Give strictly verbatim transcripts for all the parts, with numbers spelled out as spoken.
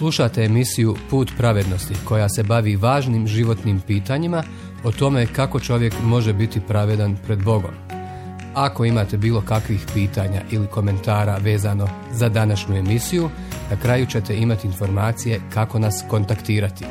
Slušate emisiju Put pravednosti koja se bavi važnim životnim pitanjima o tome kako čovjek može biti pravedan pred Bogom. Ako imate bilo kakvih pitanja ili komentara vezano za današnju emisiju, na kraju ćete imati informacije kako nas kontaktirati.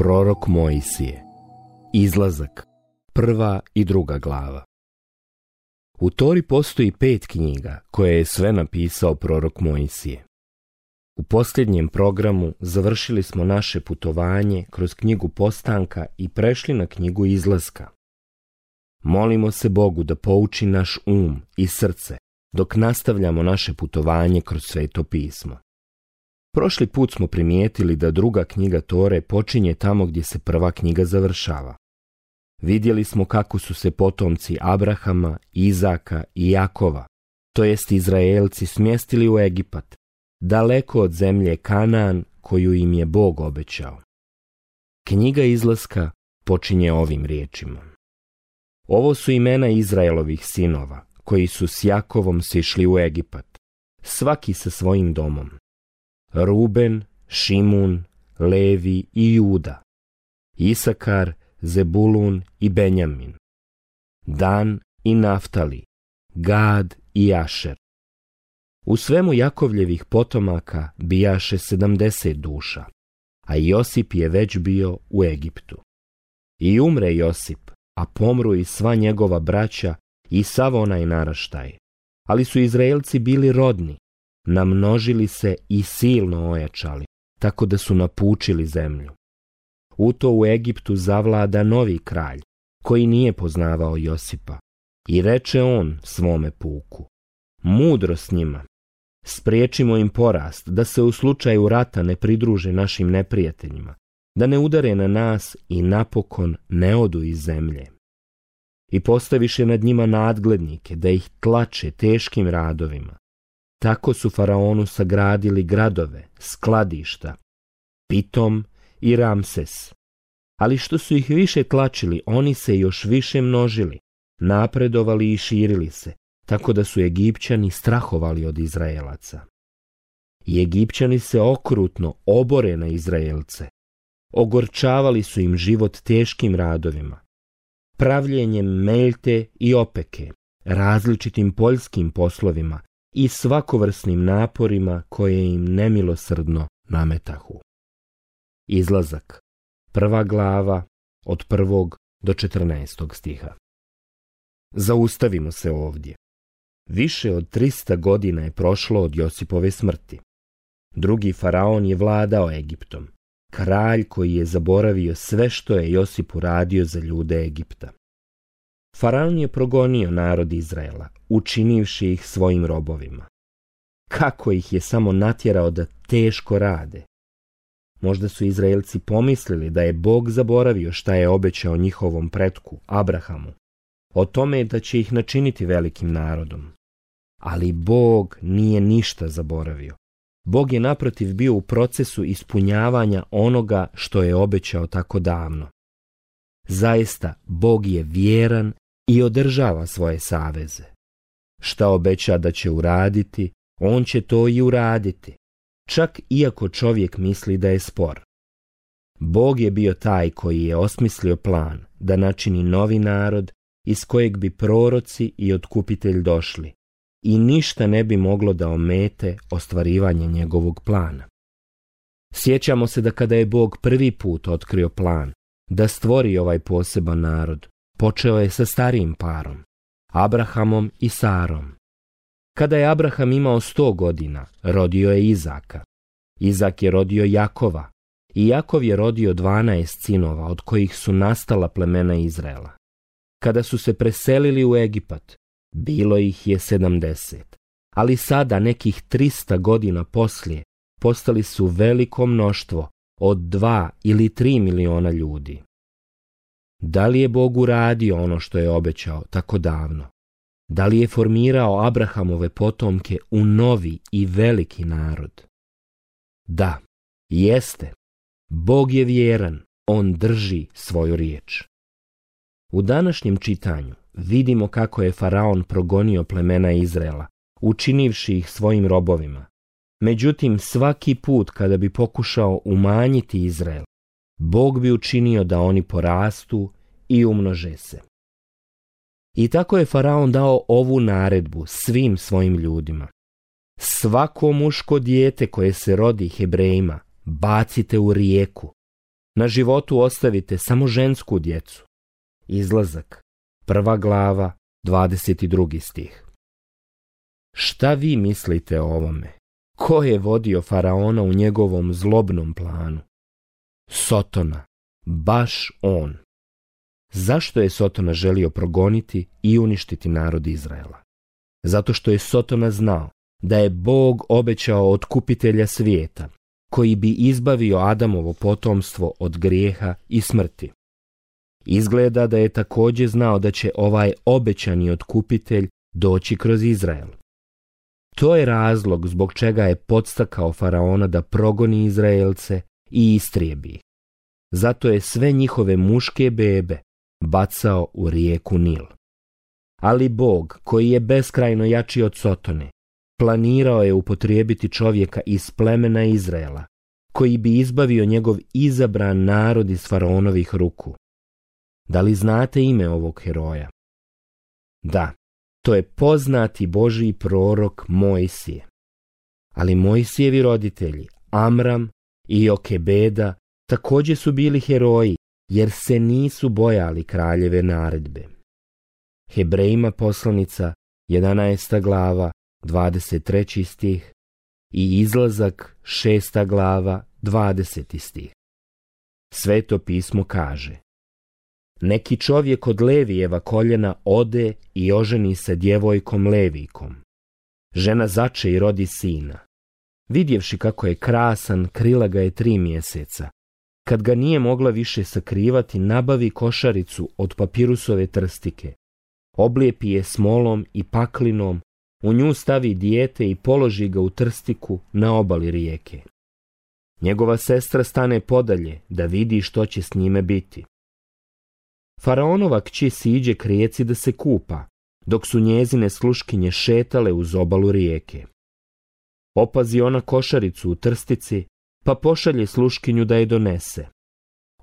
Prorok Mojsije. Izlazak. Prva i druga glava. U Tori postoji pet knjiga koje je sve napisao prorok Mojsije. U posljednjem programu završili smo naše putovanje kroz knjigu Postanka i prešli na knjigu Izlaska. Molimo se Bogu da pouči naš um i srce dok nastavljamo naše putovanje kroz Sveto pismo. Prošli put smo primijetili da druga knjiga Tore počinje tamo gdje se prva knjiga završava. Vidjeli smo kako su se potomci Abrahama, Izaka i Jakova, to jest Izraelci, smjestili u Egipat, daleko od zemlje Kanaan koju im je Bog obećao. Knjiga Izlaska počinje ovim riječima. Ovo su imena Izraelovih sinova, koji su s Jakovom sišli u Egipat, svaki sa svojim domom. Ruben, Šimun, Levi i Juda, Isakar, Zebulun i Benjamin, Dan i Naftali, Gad i Ašer. U svemu Jakovljevih potomaka bijaše sedamdeset duša, a Josip je već bio u Egiptu. I umre Josip, a pomru i sva njegova braća i sav onaj naraštaj. Ali su Izraelci bili rodni, namnožili se i silno ojačali, tako da su napučili zemlju. U to u Egiptu zavlada novi kralj, koji nije poznavao Josipa. I reče on svome puku, mudro s njima, spriječimo im porast, da se u slučaju rata ne pridruže našim neprijateljima, da ne udare na nas i napokon ne odu iz zemlje. I postaviše nad njima nadglednike, da ih tlače teškim radovima. Tako su faraonu sagradili gradove, skladišta, Pitom i Ramses. Ali što su ih više tlačili, oni se još više množili, napredovali i širili se, tako da su Egipćani strahovali od Izraelaca. I Egipćani se okrutno obore na Izraelce. Ogorčavali su im život teškim radovima, pravljenjem meljte i opeke, različitim poljskim poslovima i svakovrsnim naporima koje im nemilosrdno nametahu. Izlazak. Prva glava od prvog do četrnaestog stiha. Zaustavimo se ovdje. Više od trista godina je prošlo od Josipove smrti. Drugi faraon je vladao Egiptom, kralj koji je zaboravio sve što je Josip uradio za ljude Egipta. Faraon je progonio narod Izraela, učinivši ih svojim robovima. Kako ih je samo natjerao da teško rade. Možda su Izraelci pomislili da je Bog zaboravio šta je obećao njihovom pretku, Abrahamu, o tome da će ih načiniti velikim narodom. Ali Bog nije ništa zaboravio. Bog je naprotiv bio u procesu ispunjavanja onoga što je obećao tako davno. Zaista, Bog je vjeran i održava svoje saveze. Šta obeća da će uraditi, on će to i uraditi, čak iako čovjek misli da je spor. Bog je bio taj koji je osmislio plan da načini novi narod iz kojeg bi proroci i otkupitelj došli i ništa ne bi moglo da omete ostvarivanje njegovog plana. Sjećamo se da kada je Bog prvi put otkrio plan da stvori ovaj poseban narod, počeo je sa starijim parom, Abrahamom i Sarom. Kada je Abraham imao sto godina, rodio je Izaka. Izak je rodio Jakova i Jakov je rodio dvanaest sinova, od kojih su nastala plemena Izraela. Kada su se preselili u Egipat, bilo ih je sedamdeset, ali sada nekih trista godina poslije postali su veliko mnoštvo od dva ili tri miliona ljudi. Da li je Bog uradio ono što je obećao tako davno? Da li je formirao Abrahamove potomke u novi i veliki narod? Da, jeste. Bog je vjeran, on drži svoju riječ. U današnjem čitanju vidimo kako je faraon progonio plemena Izraela, učinivši ih svojim robovima. Međutim, svaki put kada bi pokušao umanjiti Izrael, Bog bi učinio da oni porastu i umnože se. I tako je faraon dao ovu naredbu svim svojim ljudima. Svako muško dijete koje se rodi Hebrejima bacite u rijeku. Na životu ostavite samo žensku djecu. Izlazak, prva glava, dvadeset drugi stih. Šta vi mislite o ovome? Ko je vodio faraona u njegovom zlobnom planu? Sotona, baš on. Zašto je Sotona želio progoniti i uništiti narod Izraela? Zato što je Sotona znao da je Bog obećao otkupitelja svijeta, koji bi izbavio Adamovo potomstvo od grijeha i smrti. Izgleda da je također znao da će ovaj obećani otkupitelj doći kroz Izrael. To je razlog zbog čega je podstakao faraona da progoni Izraelce i istrijebi ih. Zato je sve njihove muške bebe bacao u rijeku Nil. Ali Bog, koji je beskrajno jači od Sotone, planirao je upotrijebiti čovjeka iz plemena Izraela, koji bi izbavio njegov izabran narod iz faraonovih ruku. Da li znate ime ovog heroja? Da, to je poznati Božji prorok Mojsije. Ali Mojsijevi roditelji, Amram i Jokebeda, također su bili heroji, jer se nisu bojali kraljeve naredbe. Hebrejima poslanica, jedanaesta glava, dvadeset treći stih i Izlazak, šesta glava, dvadeseti stih. Sveto pismo kaže: neki čovjek od Levijeva koljena ode i oženi se djevojkom Levijkom. Žena zače i rodi sina. Vidjevši kako je krasan, krila ga je tri mjeseca. Kad ga nije mogla više sakrivati, nabavi košaricu od papirusove trstike. Oblijepi je smolom i paklinom, u nju stavi dijete i položi ga u trstiku na obali rijeke. Njegova sestra stane podalje da vidi što će s njime biti. Faraonova kći siđe k rijeci da se kupa, dok su njezine sluškinje šetale uz obalu rijeke. Opazi ona košaricu u trstici, pa pošalje sluškinju da je donese.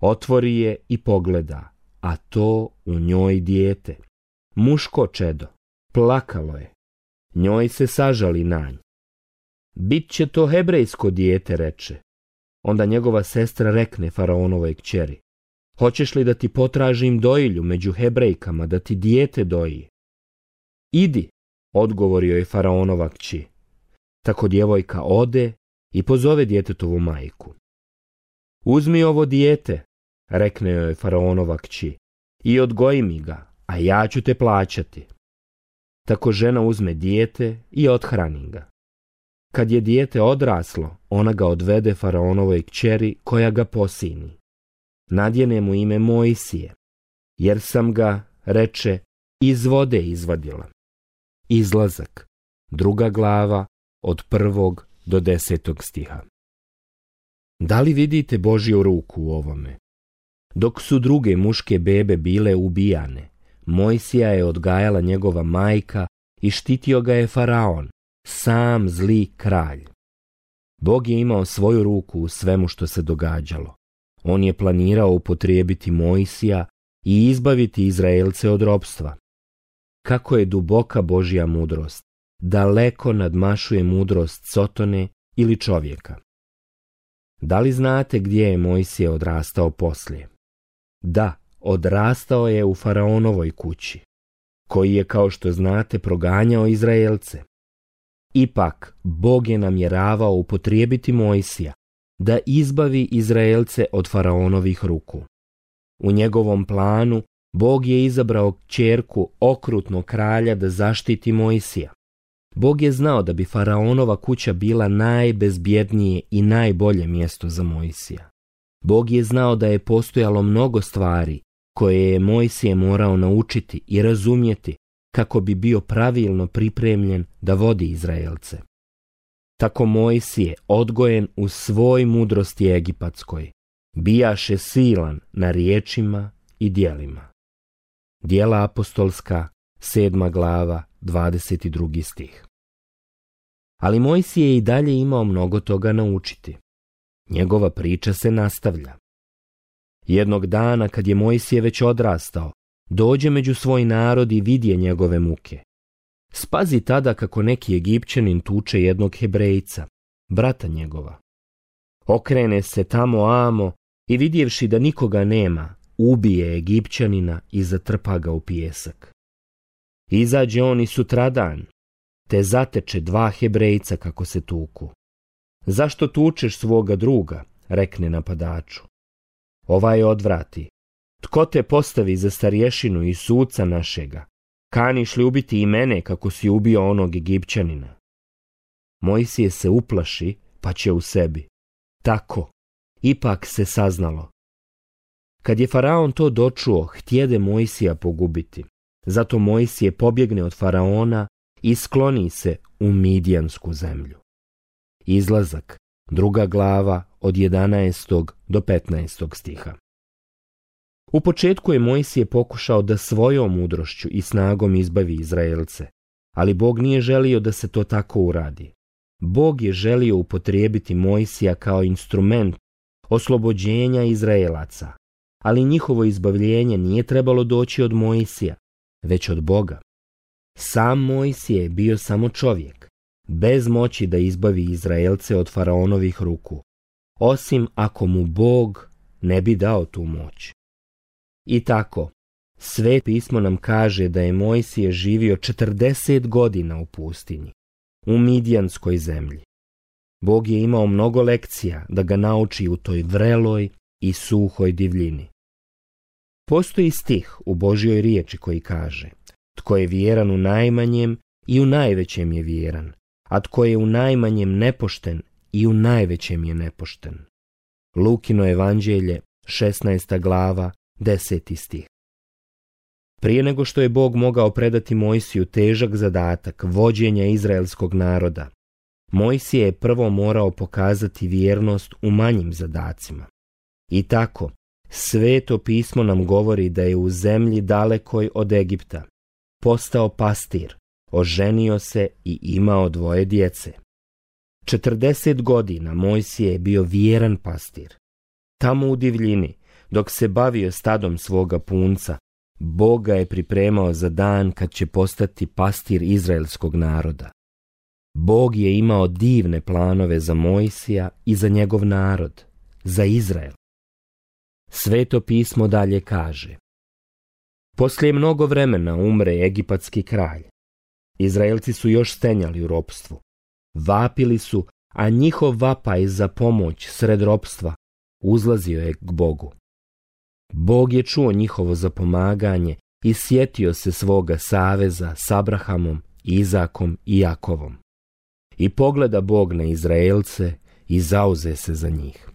Otvori je i pogleda, a to u njoj dijete. Muško čedo, plakalo je. Njoj se sažali nanj. Bit će to hebrejsko dijete, reče. Onda njegova sestra rekne faraonovoj kćeri: hoćeš li da ti potražim dojilju među Hebrejkama, da ti dijete doji? Idi, odgovorio je faraonova kći. Tako djevojka ode i pozove djetetovu majku. Uzmi ovo dijete, rekne joj faraonova kći, i odgoji mi ga, a ja ću te plaćati. Tako žena uzme dijete i othrani ga. Kad je dijete odraslo, ona ga odvede faraonovoj kćeri koja ga posini. Nadjene mu ime Mojsije, jer sam ga, reče, iz vode izvadila. Izlazak, druga glava, od prvog do desetog stiha. Da li vidite Božju ruku u ovome? Dok su druge muške bebe bile ubijane, Mojsija je odgajala njegova majka i štitio ga je faraon, sam zli kralj. Bog je imao svoju ruku u svemu što se događalo. On je planirao upotrijebiti Mojsija i izbaviti Izraelce od ropstva. Kako je duboka Božja mudrost, daleko nadmašuje mudrost Sotone ili čovjeka. Da li znate gdje je Mojsije odrastao poslije? Da, odrastao je u faraonovoj kući, koji je, kao što znate, proganjao Izraelce. Ipak, Bog je namjeravao upotrijebiti Mojsija da izbavi Izraelce od faraonovih ruku. U njegovom planu Bog je izabrao kćerku okrutnog kralja da zaštiti Mojsija. Bog je znao da bi faraonova kuća bila najbezbjednije i najbolje mjesto za Mojsija. Bog je znao da je postojalo mnogo stvari koje je Mojsije morao naučiti i razumjeti kako bi bio pravilno pripremljen da vodi Izraelce. Tako Mojsije, odgojen u svoj mudrosti egipatskoj, bijaše silan na riječima i djelima. Djela apostolska, sedma glava, dvadeset drugi stih. Ali Mojsije je i dalje imao mnogo toga naučiti. Njegova priča se nastavlja. Jednog dana, kad je Mojsije već odrastao, dođe među svoj narod i vidje njegove muke. Spazi tada kako neki Egipćanin tuče jednog Hebrejca, brata njegova. Okrene se tamo amo i vidjevši da nikoga nema, ubije Egipćanina i zatrpa ga u pijesak. Izađe on i sutradan, te zateče dva Hebrejca kako se tuku. Zašto tučeš svoga druga, rekne napadaču. Ovaj odvrati. Tko te postavi za starješinu i suca našega? Kaniš li ubiti i mene kako si ubio onog Egipćanina? Mojsije se uplaši, pa će u sebi. Tako, ipak se saznalo. Kad je faraon to dočuo, htjede Mojsija pogubiti. Zato Mojsije pobjegne od faraona i skloni se u Midijansku zemlju. Izlazak, druga glava, od jedanaestog do petnaestog stiha. U početku je Mojsije pokušao da svojom mudrošću i snagom izbavi Izraelce, ali Bog nije želio da se to tako uradi. Bog je želio upotrijebiti Mojsija kao instrument oslobođenja Izraelaca, ali njihovo izbavljenje nije trebalo doći od Mojsija, već od Boga. Sam Mojsije je bio samo čovjek, bez moći da izbavi Izraelce od faraonovih ruku, osim ako mu Bog ne bi dao tu moć. I tako, Sveto pismo nam kaže da je Mojsije živio četrdeset godina u pustinji, u Midijanskoj zemlji. Bog je imao mnogo lekcija da ga nauči u toj vreloj i suhoj divljini. Postoji stih u Božjoj riječi koji kaže: tko je vjeran u najmanjem i u najvećem je vjeran, a tko je u najmanjem nepošten i u najvećem je nepošten. Lukino evanđelje, šesnaesta glava, deseti stih. Prije nego što je Bog mogao predati Mojsiju težak zadatak vođenja izraelskog naroda, Mojsije je prvo morao pokazati vjernost u manjim zadacima. I tako, Sveto pismo nam govori da je u zemlji dalekoj od Egipta postao pastir, oženio se i imao dvoje djece. četrdeset godina Mojsije je bio vjeran pastir. Tamo u divljini, dok se bavio stadom svoga punca, Bog ga je pripremao za dan kad će postati pastir izraelskog naroda. Bog je imao divne planove za Mojsija i za njegov narod, za Izrael. Sveto pismo dalje kaže: poslije mnogo vremena umre egipatski kralj. Izraelci su još stenjali u ropstvu. Vapili su, a njihov vapaj za pomoć sred ropstva uzlazio je k Bogu. Bog je čuo njihovo zapomaganje i sjetio se svoga saveza s Abrahamom, Izakom i Jakovom. I pogleda Bog na Izraelce i zauze se za njih.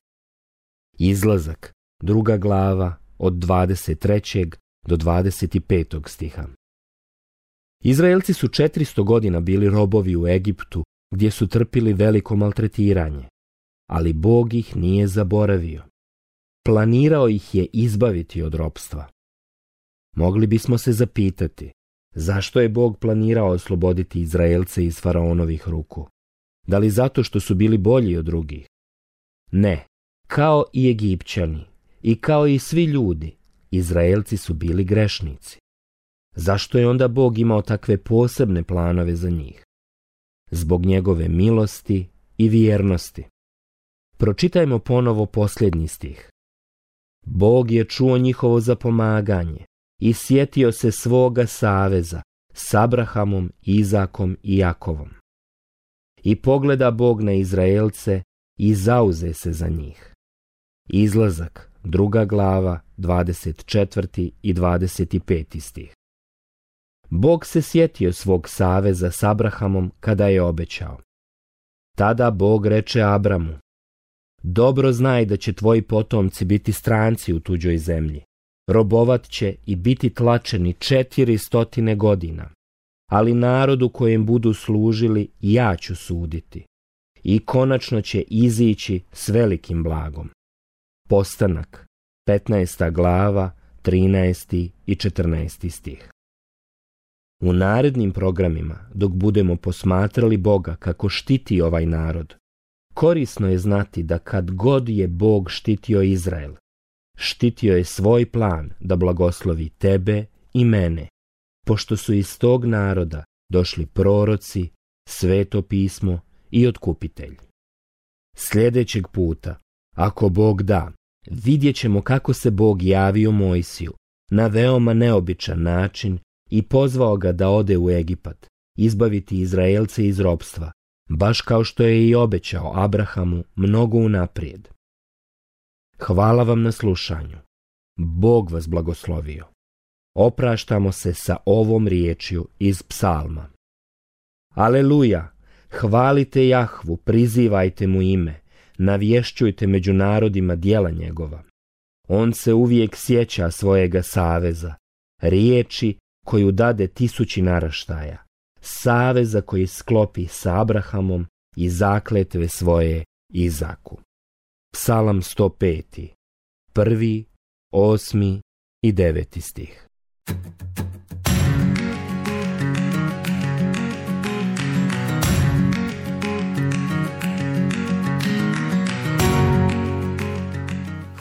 Izlazak, druga glava, od dvadeset trećeg do dvadeset petog stiha. Izraelci su četiristo godina bili robovi u Egiptu, gdje su trpili veliko maltretiranje, ali Bog ih nije zaboravio. Planirao ih je izbaviti od ropstva. Mogli bismo se zapitati, zašto je Bog planirao osloboditi Izraelce iz faraonovih ruku? Da li zato što su bili bolji od drugih? Ne, kao i Egipćani i kao i svi ljudi, Izraelci su bili grešnici. Zašto je onda Bog imao takve posebne planove za njih? Zbog njegove milosti i vjernosti. Pročitajmo ponovo posljednji stih. Bog je čuo njihovo zapomaganje i sjetio se svoga saveza s Abrahamom, Izakom i Jakovom. I pogleda Bog na Izraelce i zauze se za njih. Izlazak, druga glava, dvadeset četvrti i dvadeset peti stih. Bog se sjetio svog saveza s Abrahamom kada je obećao. Tada Bog reče Abramu: dobro znaj da će tvoji potomci biti stranci u tuđoj zemlji. Robovat će i biti tlačeni četiri stotine godina, ali narodu kojem budu služili ja ću suditi i konačno će izići s velikim blagom. Postanak, petnaesta glava, trinaesti i četrnaesti stih. U narednim programima, dok budemo posmatrali Boga kako štiti ovaj narod, korisno je znati da kad god je Bog štitio Izrael, štitio je svoj plan da blagoslovi tebe i mene, pošto su iz tog naroda došli proroci, sveto pismo i otkupitelj. Sljedećeg puta, ako Bog da, vidjet ćemo kako se Bog javio Mojsiju na veoma neobičan način i pozvao ga da ode u Egipat, izbaviti Izraelce iz ropstva, baš kao što je i obećao Abrahamu mnogo unaprijed. Hvala vam na slušanju. Bog vas blagoslovio. Opraštamo se sa ovom riječju iz psalma. Aleluja! Hvalite Jahvu, prizivajte mu ime, navješćujte među narodima djela njegova. On se uvijek sjeća svojega saveza, riječi koju dade tisući naraštaja, saveza koji sklopi sa Abrahamom i zakletve svoje Izaku. Psalam sto pet, prvi, osmi i deveti stih.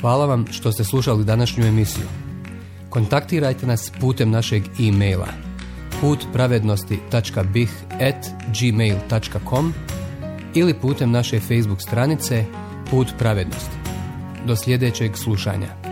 Hvala vam što ste slušali današnju emisiju. Kontaktirajte nas putem našeg e-maila put pravednosti tačka b i h at gmail tačka com ili putem naše Facebook stranice Put pravednosti. Do sljedećeg slušanja.